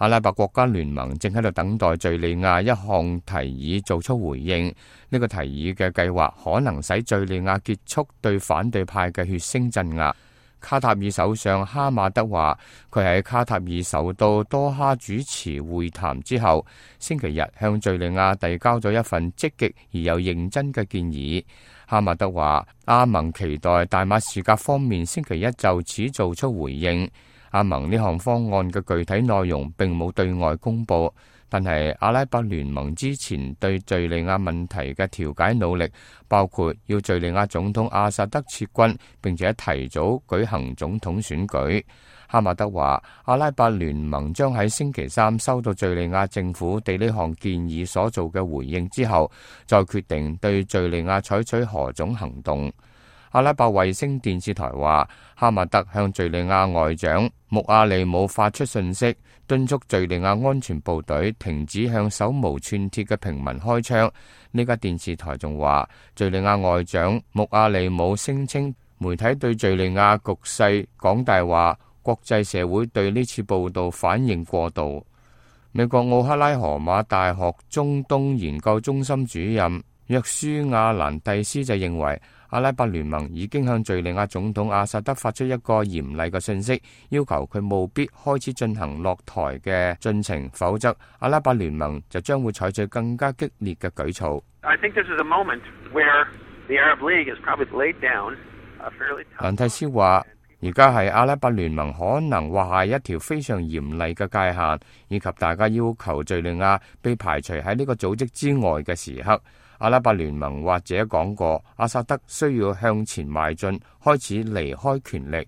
阿拉伯國家聯盟正喺度等待敘利亞一項提議做出回應。呢個提議嘅計劃可能使敘利亞結束對反對派嘅血腥鎮壓。卡塔爾首相哈馬德話，佢喺卡塔爾首都多哈主持會談之後，星期日向敘利亞遞交咗一份積極而又認真嘅建議。哈馬德話，阿盟期待大馬士革方面星期一就此做出回應。阿盟呢項方案嘅具體內容並冇對外公佈，但係阿拉伯聯盟之前對敘利亞問題嘅調解努力，包括要敘利亞總統阿薩德撤軍，並且提早舉行總統選舉。哈馬德話，阿拉伯聯盟將喺星期三收到敘利亞政府對呢項建議所做嘅回應之後，再決定對敘利亞採取何種行動。阿拉伯衛星電視台話，哈馬德向敘利亞外長穆阿利姆發出信息，敦促敘利亞安全部隊停止向手無寸鐵嘅平民開槍。呢家電視台仲話，敘利亞外長穆阿利姆聲稱媒體對敘利亞局勢講大話，國際社會對呢次報道反應過度。美國奧克拉荷馬大學中東研究中心主任約書亞蘭蒂斯就認為，阿拉伯聯盟已經向敘利亞總統阿薩德發出一個嚴厲嘅信息，要求佢務必開始進行落台嘅進程，否則阿拉伯聯盟就將會採取更加激烈嘅舉措。蘭蒂斯話，而家係阿拉伯聯盟可能畫下一條非常嚴厲嘅界限，以及大家要求敘利亞被排除喺呢個組織之外嘅時刻。阿拉伯聯盟或者講過，阿薩德需要向前邁進，開始離開權力。